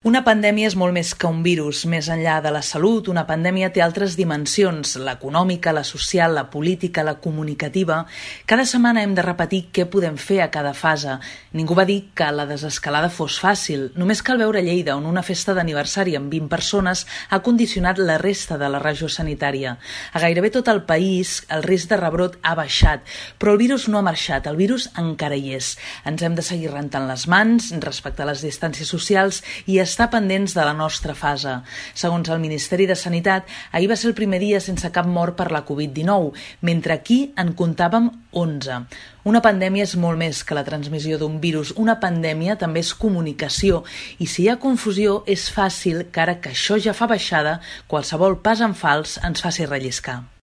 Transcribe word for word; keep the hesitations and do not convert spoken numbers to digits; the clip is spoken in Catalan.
Una pandèmia és molt més que un virus. Més enllà de la salut, una pandèmia té altres dimensions, l'econòmica, la social, la política, la comunicativa. Cada setmana hem de repetir què podem fer a cada fase. Ningú va dir que la desescalada fos fàcil. Només cal veure Lleida, on una festa d'aniversari amb vint persones ha condicionat la resta de la regió sanitària. A gairebé tot el país el risc de rebrot ha baixat, però el virus no ha marxat, el virus encara hi és. Ens hem de seguir rentant les mans, respectar les distàncies socials i estar pendents de la nostra fase. Segons el Ministeri de Sanitat, ahir va ser el primer dia sense cap mort per la covid dinou, mentre aquí en comptàvem onze. Una pandèmia és molt més que la transmissió d'un virus. Una pandèmia també és comunicació i si hi ha confusió és fàcil que ara que això ja fa baixada, qualsevol pas en fals ens faci relliscar.